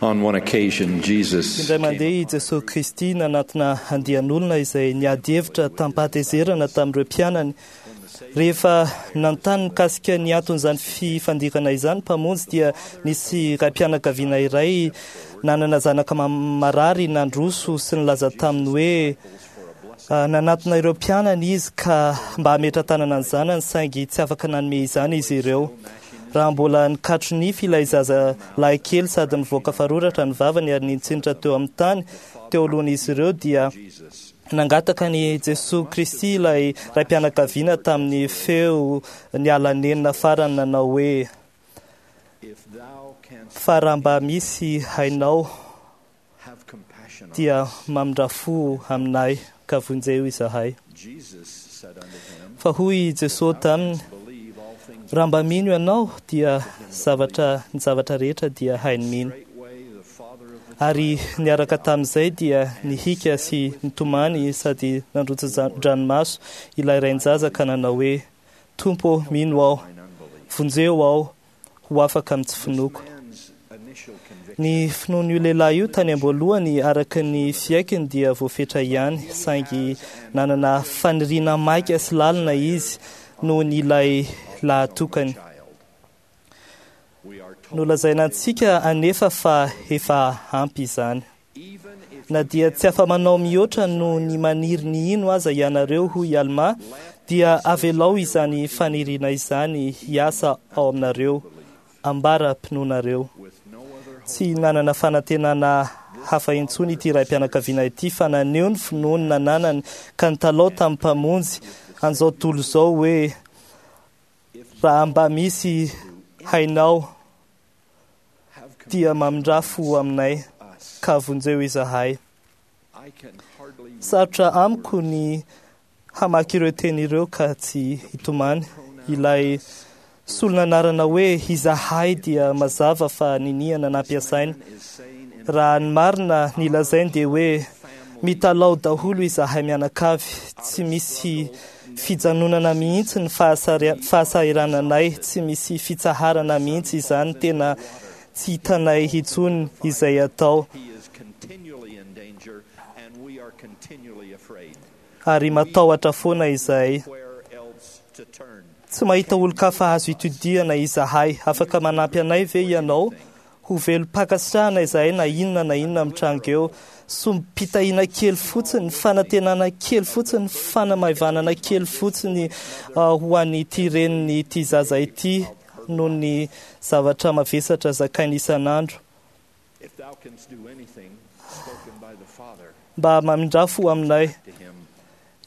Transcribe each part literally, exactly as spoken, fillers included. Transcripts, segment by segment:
On one occasion, Jesus Indray mandeha i Jesosy Kristy nanatona andian'olona izay niady hevitra tampahatezerana tamin'ireo mpianany. Rehefa nanontany mikasika ny anton'izany fifandirana izany Mpamonjy dia nisy raim-pianakaviana iray nanana zanaka marary nandroso sy nilaza taminy hoe nanatona ireo mpianany izy ka mba hametra-tanana ny zanany, saingy tsy afaka nanome izany izy ireo. Raha mbola nikatro nify ilay zaza lahy kely sady nivoaka faroratra ny vavany ary nitsinitra teo amin'ny tany teo alohan'izy ireo, dia nangataka ny Jesosy Kristy ilay raim-pianakaviana tamin'ny feo niala nenina farany nanao hoe: fa raha mba misy hainao dia mamindra fo aminay ka vonjeo izahay. Fa hoy Jesosy taminy: raha mba mino ianao dia zavatra ny zavatra rehetra dia hainy mino. Ary niaraka tamin'izay dia nihika sy nitomany sady nandrotsa-dranomaso ilay rain-jaza ka nanao hoe: Tompo, mino aho, vonjeo aho ho afaka amin'ny tsy finoako. Ny finoan'io lehilahy io tany am-boalohany araka ny fiaikiny dia voafetra ihany, saingy nanana faniriana maika sy lalina izy noho ny ilay lahatokany. Nolazaina antsika anefa fa efa ampy izany. Na dia tsy afa-manao mihoatra noho ny maniry ny hino aza ianareo, hoy Alma, dia avelao izany faniriana izany hiasa ao aminareo, ambara-pinoanareo. Tsy nanana fanantenana hafa intsony ity raim-pianakaviana ity fa naneho ny finoany nananany ka nitalao tamin'ny Mpamonjy an'izao tontolo izao hoe: raha mba misy hainao dia mamindra fo aminay ka vonjeo izahay. Sarotra amiko ny hamaky ireo teny ireo ka tsy hitomany. Ilay solon'anarana hoe izahay dia mazava fa niniana nampiasaina. Raha ny marina ny lazainy dia hoe mitalao daholo izahay mianakavy, tsy misy fijanonana mihitsy ny fahasahirananay, tsy misy fitsaharana mihitsy izany, tena tsy hitanay intsony izay atao. Ary matahotra foana izahay. Tsy mahita olon-kafa azo itodihana izahay. Afaka manampy anay ve ianao? Ho velom-pankasitrahana izahay na inona na inona mitranga eo. Sombim-pitahiana kely fotsiny, fanantenana kely fotsiny, fanamaivanana kely fotsiny ho an'ity reniny ity zaza ity noho ny zavatra mavesatra zakainy isan'andro. Mba mamindra fo aminay.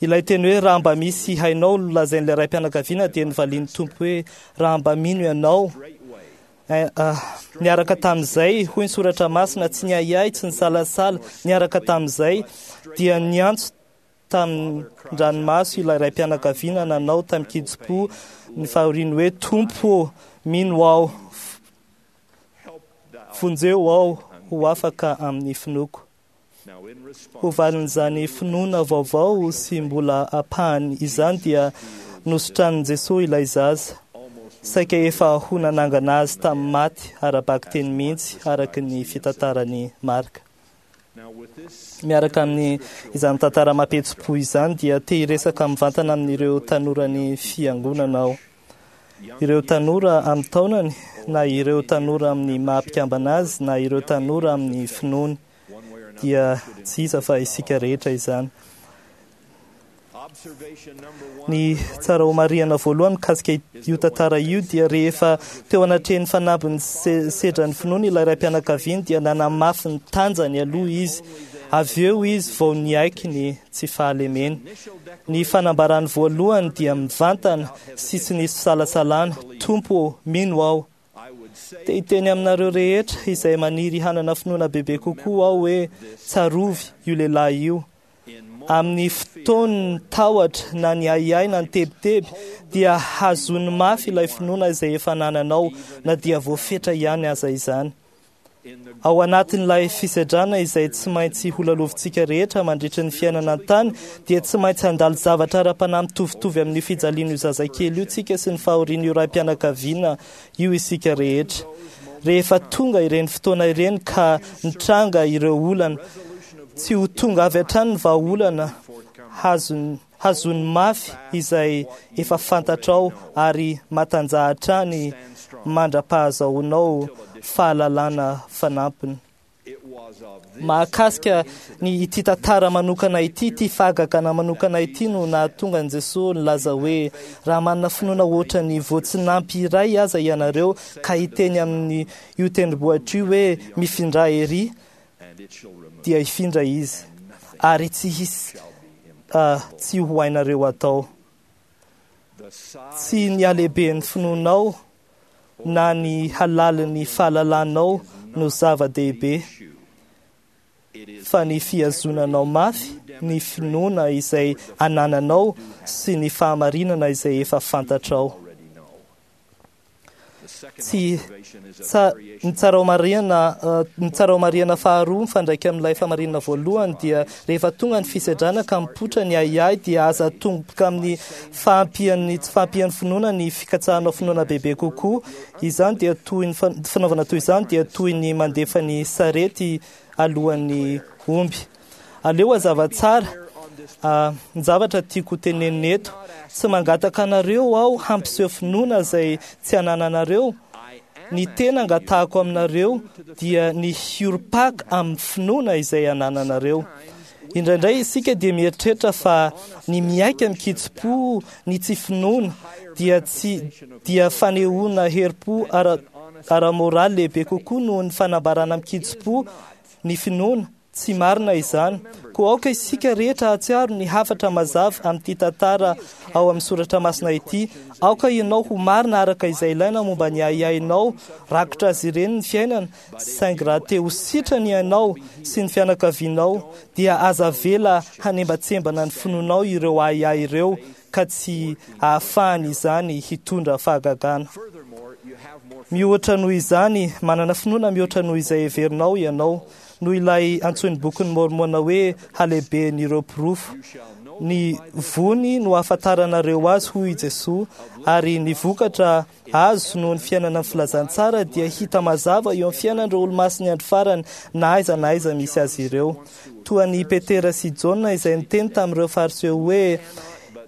Ilay teny hoe raha mba misy hainao nolazain'ilay raim-pianakaviana dia novalian'ny Tompo hoe raha mba mino ianao. Niaraka tamin'izay, hoy ny soratra masina, tsy niahiahy, tsy nisalasala, niaraka tamin'izay dia niantso tamin-dranomaso ilay raim-pianakaviana nanao tamin-kitsim-po ny fahoriany hoe: Tompo, mino aho, vonjeo aho ho afaka amin'ny finoako. Ho valin'izany finoana vaovao sy mbola ampahany izany dia nosotranin'i Jesosy ilay zaza. Saika efa ho nanangana azy tamin'ny maty ara-bakiteny mihitsy araka ny fitantaran'i Marka. Miaraka amin'ny izany tantara mampihetsi-po izany dia te hiresaka mivantana amin'ireo tanoran'ny fiangonana aho. Ireo tanora amin'ny taonany, na ireo tanora amin'ny maha-mpikambana azy, na ireo tanora amin'ny finoany, dia tsy iza fa isika rehetra izany. Ny tsara ho marihana voalohany mikasika io tantara io dia rehefa teo anatrehan'ny fanambin'ny sedran'ny finoany ilay raim-pianakaviany dia nanamafy ny tanjany aloha izy. Avy eo izy vao niaiky ny tsy fahalemeny. Ny fanambarany voalohany dia mivantana sy tsy nisy fisalasalana: Tompo, mino aho. Te hiteny aminareo rehetra izay maniry hanana finoana bebe kokoa aho hoe tsarovy io lehilahy io. Amin'ny fotoan'ny tahotra na ny ahiahy na ny tebiteby dia hazony mafy ilay finoana izay efa nananao na dia voafetra ihany aza izany. Ao anatin'ilay fisedrana izay tsy maintsy holalovintsika rehetra mandritra ny fiainana an-tany dia tsy maintsy handalo zavatra ara-panahy mitovitovy amin'ny fijalian'io zazakely io tsika sy ny fahorian'io raim-pianakaviana io isika rehetra. Rehefa tonga ireny fotoana ireny ka nitranga ireo olana, tsy ho tonga avy hatrany ny vahaolana. Hazony hazony mafy izay efa fantatrao ary matanjaha hatrany mandra-pahazahoanao fahalalana fanampiny. Mahakasika ny ity tantara manokana ity, ity fahagagana manokana ity no nahatonga an'i Jesoa nilaza hoe raha manana finoana ohatra ny voatsinampy iray aza ianareo ka hiteny amin'ny io tendrombohitra io hoe mifindra ery, dia hifindra izy ary tsy hisy uh, tsy ho hainareo atao. Tsy ny halehiben'ny finoanao na ny halalin'ny fahalalanao no zava-dehibe, fa ny fihazonanao mafy ny finoana izay anananao sy ny fahamarinana izay efa fantatrao. Tsy tsa, ny tsara ho marihana ny tsara ho marihana faharoa mifandraika amin'ilay famarinana voalohany dia rehefa tonga ny fisedrana ka mipoitra ny ahiahy dia aza tomboka amin'ny fahampian'ny tsy fahampian'ny finoana ny fikatsahanao finoana bebe kokoa. Izany dia toy ny fanaovana toy izany dia toy ny mandefa ny sarety alohan'ny omby. Aleo hazava tsara ny zavatra tiako tenenina eto. Tsy mangataka anareo aho hampiseho finoana izay tsy anananareo. Ny tena angatahako aminareo dia ny hiorim-paka amin'ny finoana izay anananareo. Indraindray isika dia mieritreritra fa ny miaika mikitsi-po ny tsy finoana dia tsy dia fanehoana herim-po ara ara-moraly lehibe kokoa noho ny fanambarana mikitsi-po ny finoana. Tsy marina izany. Koa aoka isika rehetra hahatsiaro ny hafatra mazava amin'ity tantara ao amin'ny soratra masina ity. Aoka ianao ho marina araka izay ilaina momba ny ahiahinao. Rakotra azy ireny ny fiainana, saingy raha te ho sitrana ianao sy ny fianakavianao, dia aza avela hanembatsembana ny finoanao ireo ahiahy ireo ka tsy ahafahany izany hitondra fahagagana. Mihoatra noho izany, manana finoana mihoatra noho izay heverinao ianao, noho ilay antsoin'ny bokin'ny Mormona hoe halehiben'ireo porofo. Ny vony no ahafantaranareo azy, hoy i Jesoa, ary ny vokatra azo noho ny fiainana ny filazantsara dia hita mazava eo amin'ny fiainan'ireo olomasin'ny andro farany na aiza na aiza misy azy ireo. Toa an'i Petera sy Jaona izay niteny tamin'ireo Fariseo hoe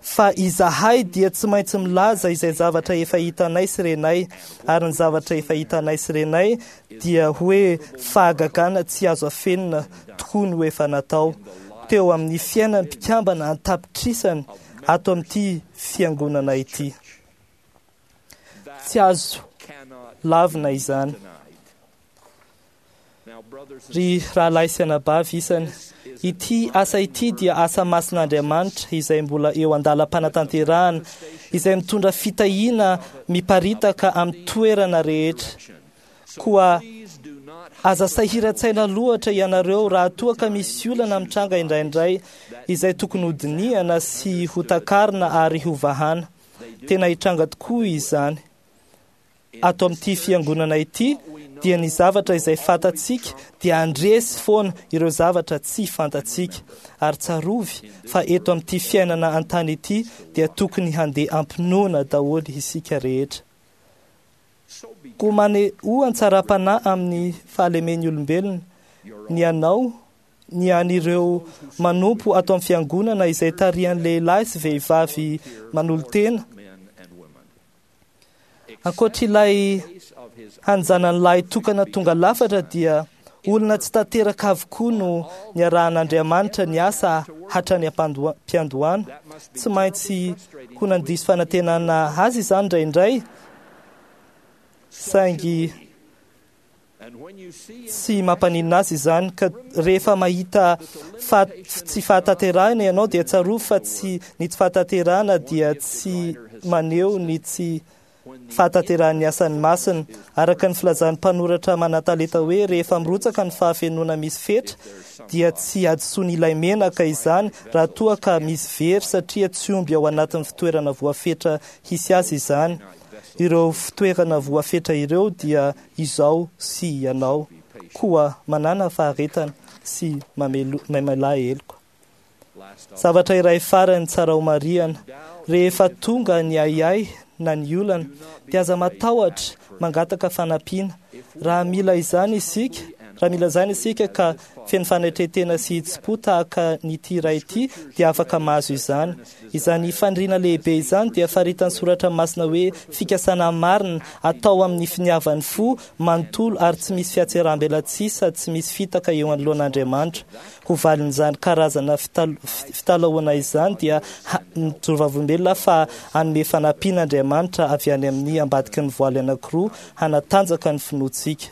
fa izahay dia tsy maintsy milaza izay zavatra efa hitanay sy renay, ary ny zavatra efa hitanay sy renay dia hoe fahagagana tsy azo afenina tokoa no efa natao teo amin'ny fiainan'ny mpikambana an-tapitrisany ato amin'ity fiangonana ity. Tsy azo lavina izany. Ry rahalahy sy anabavy isany, ity asa ity dia asa masin'Andriamanitra izay mbola eo an-dalam-panatanterahana, izay mitondra fitahiana miparitaka amin'ny toerana rehetra. Koa aza sahiran-tsaina loatra ianareo raha toa ka misy olana mitranga indraindray izay tokony hodinihana sy hotakarina ary hovahana. Tena hitranga tokoa izany. Ato amin'ity fiangonana ity dia ny zavatra izay fantatsika dia handresy foana ireo zavatra tsy fantatsika. Ary tsarovy fa eto amin'ity fiainana an-tany ity dia tokony handeha ampinoana daholo isika rehetra. Koa manehoa an-tsaram-panahy amin'ny fahalemen'ny olombelona, ny anao, ny an'ireo manompo ato amin'ny fiangonana izay tarihan'ny lehilahy sy vehivavy manolo-tena. Ankoatra ilay hanjanany lahy tokana tonga lafatra dia olona tsy tanteraka avokoa no niarahan'Andriamanitra ny asa hatrany am-piandohana. Tsy maintsy ho nandiso fanantenana azy izany indraindray, saingy tsy mampaninona azy izany. Ka rehefa mahita fa tsy fahatanterahana ianao dia tsarovy fa tsy ny tsy fahatanterahana dia tsy maneho ny tsy fahatanterahan'ny asan'ny masina. Araka ny filazan'ny mpanoratra manan-talenta hoe rehefa mirotsaka ny fahafenoana misy fetra dia tsy hadisoan'ilay menaka izany raha toa ka misy very, satria tsy omby ao anatin'ny fitoerana voafetra hisy azy izany. Ireo fitoerana voafetra ireo dia izao sy ianao. Koa manana faharetana sy mamela heloka. Zavatra iray farany tsara ho marihana, rehefa tonga ny ahiahy na ny olana dia aza matahotra mangataka fanampiana. Raha mila izany isika, raha mila izany isika ka feno fanetren-tena sy hitsim-po tahaka ny ity ray ity dia afaka mahazo izany. Izany faniriana lehibe izany dia faritan'ny soratra masina hoe fikasana marina atao amin'ny finiavan'ny fo manontolo ary tsy misy fihatseram-belatsihy sady tsy misy fitaka eo anoloan'Andriamanitra. Ho valin'izany karazana fitalahoana izany dia mijoro vavolombelona fa hanome fanampiana Andriamanitra avy any amin'ny ambadiky ny voaly anankiroa hanatanjaka ny finoantsika.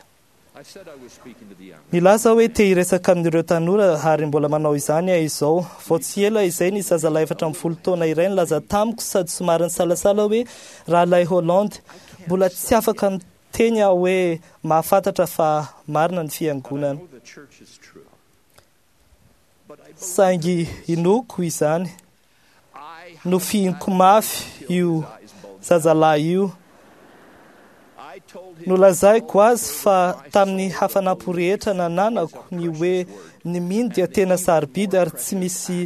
Nilaza hoe te hiresaka amin'ireo tanora ary mbola manao izany aho izao. Vao tsy ela izay ny zazalahy efatra ambin'ny folo taona iray nilaza tamiko sady somary nisalasala hoe rahalahy Holland, mbola tsy afaka miteny aho hoe mahafantatra fa marina ny fiangonana. Saingy inoako izany. Nofihiniko mafy io zazalahy io. Nolazaiko azy fa tamin'ny hafanam-po rehetra nananako ny hoe ny mino dia tena sarobidy ary tsy misy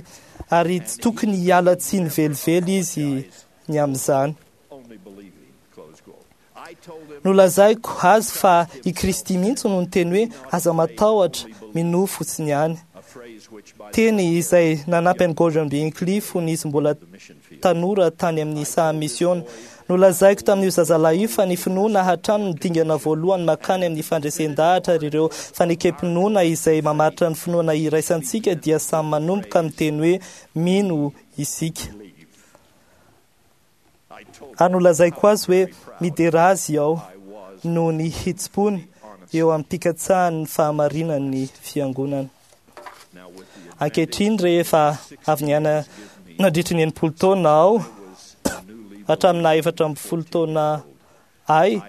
ary tsy tokony hiala tsiny velively izy ny amin'izany. Nolazaiko azy fa i Kristy mihitsy no niteny hoe aza matahotra, minoa fotsiny ihany. Teny izay nanampy an'i Gordon B. Hinckley fony izy mbola tanora tany amin'ny saha misiona. Nolazaiko tamin'io zazalahy io fa ny finoana hatrany ny dingana voalohany makany amin'ny fandresen-dahatra ary ireo fanekem-pinoana izay mamaritra ny finoana iraisantsika dia samy manomboka miteny hoe mino isika. Ary nolazaiko azy hoe midera azy aho noho ny hitsim-pony eo amin'ny mpikatsahany ny fahamarinan'ny fiangonana. Ankehitriny rehefa avy niaina nandritry ny enimpolo taona aho hatramin'ny efatra ambin'ny folo taona ahy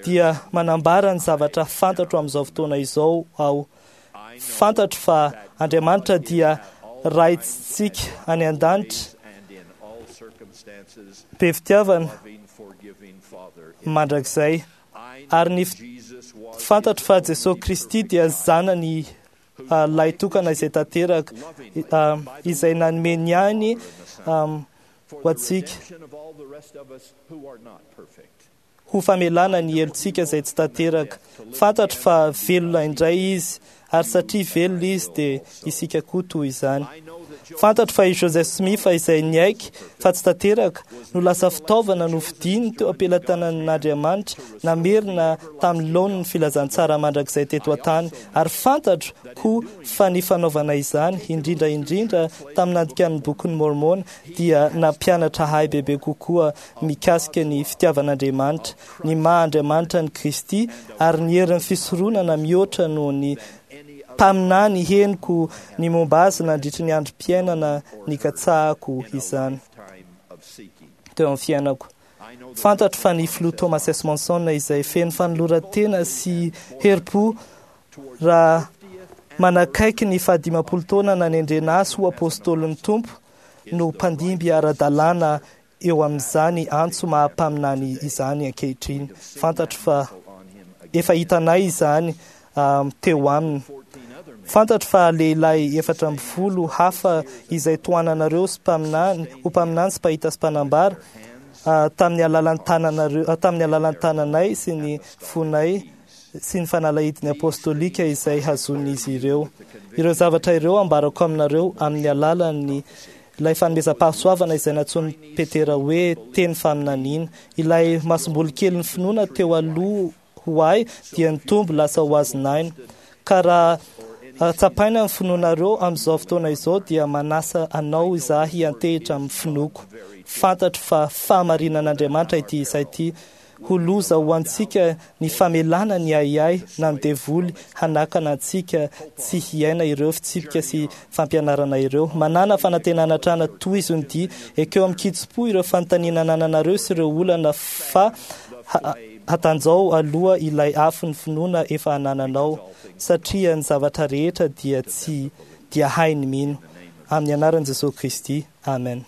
dia manambara ny zavatra fantatro amin'izao fotoana izao aho. Fantatro fa Andriamanitra dia Raintsika any an-danitra, be fitiavana mandrakizay. Ary ny fantatro fa Jesosy Kristy dia zanany lahy tokana izay tanteraka, izay nanome ny ainy ho antsika ho famelana ny helotsika izay tsy tanteraka. Fantatro fa velona indray izy, ary satria velona izy dia isika koa toy izany. Fantatro fa i Joseph Smith izay niaiky fa tsy tanteraka no lasa fitaovana nofidiny teo am-pelatanan'Andriamanitra namerina tamin'ny laoniny filazantsara mandrakizay teto an-tany. Ary fantatro koa fa ny fanaovana izany, indrindra indrindra tamin'ny nandikan'ny bokin'ny Mormona, dia nampianatra ahy bebe kokoa mikasika ny fitiavan'Andriamanitra, ny maha-Andriamanitra ny Kristy, ary ny herin'ny fisoronana mihoatra noho ny mpaminany henoko ny momba azy nandritry ny androm-piainana nikatsahako izany teo amin'ny fiainako. Fantatro fa ny filoha Thomas S. Monson izay feno fanoloran-tena sy herim-po raha manakaiky ny fahadimampolo taona nanendrena azy ho apôstôlin'ny Tompo no mpandimby ara-dalàna eo amin'izany antso maha-mpaminany izany ankehitriny. Fantatro fa efa hitanay izany teo aminy. Fantatro fa lehilahy efatra ambin'ny folo hafa izay tohananareo sy mpaminany, ho mpaminany sy mpahita sy mpanambara tamin'ny alalan'ny tananareo, tamin'ny alalan'ny tananay sy ny fonay sy ny fanalahidiny apôstôlika izay hazon'izy ireo. Ireo zavatra ireo ambarako aminareo amin'ny alalan'ny ilay fanomezam-pahasoavana izay nantsoin'i Petera hoe teny faminaniana. Ilay masomboly kelin'ny finoana teo aloha ho ahy dia nitombo lasa ho azon'aina. Ka raha tsapaina ny finoanareo amin'izao fotoana izao dia manasa anao izaho hiantehitra amin'ny finoako. Fantatro fa fahamarinan'Andriamanitra ity isa ity. Ho loza ho antsika ny famelana ny ahiahy na ny devoly hanakana antsika tsy hiaina ireo fitsipika sy fampianarana ireo. Manana fanantenana hatrany tohizo ny dia, ekeo amin'ny kitsim-po ireo fanontaniana anananareo sy ireo olana fa hatanjao aloha ilay afo ny finoana efa anananao, satria ny zavatra rehetra dia tsy dia hainy mino. Amin'ny anaran'i Jesosy Kristy. Amen.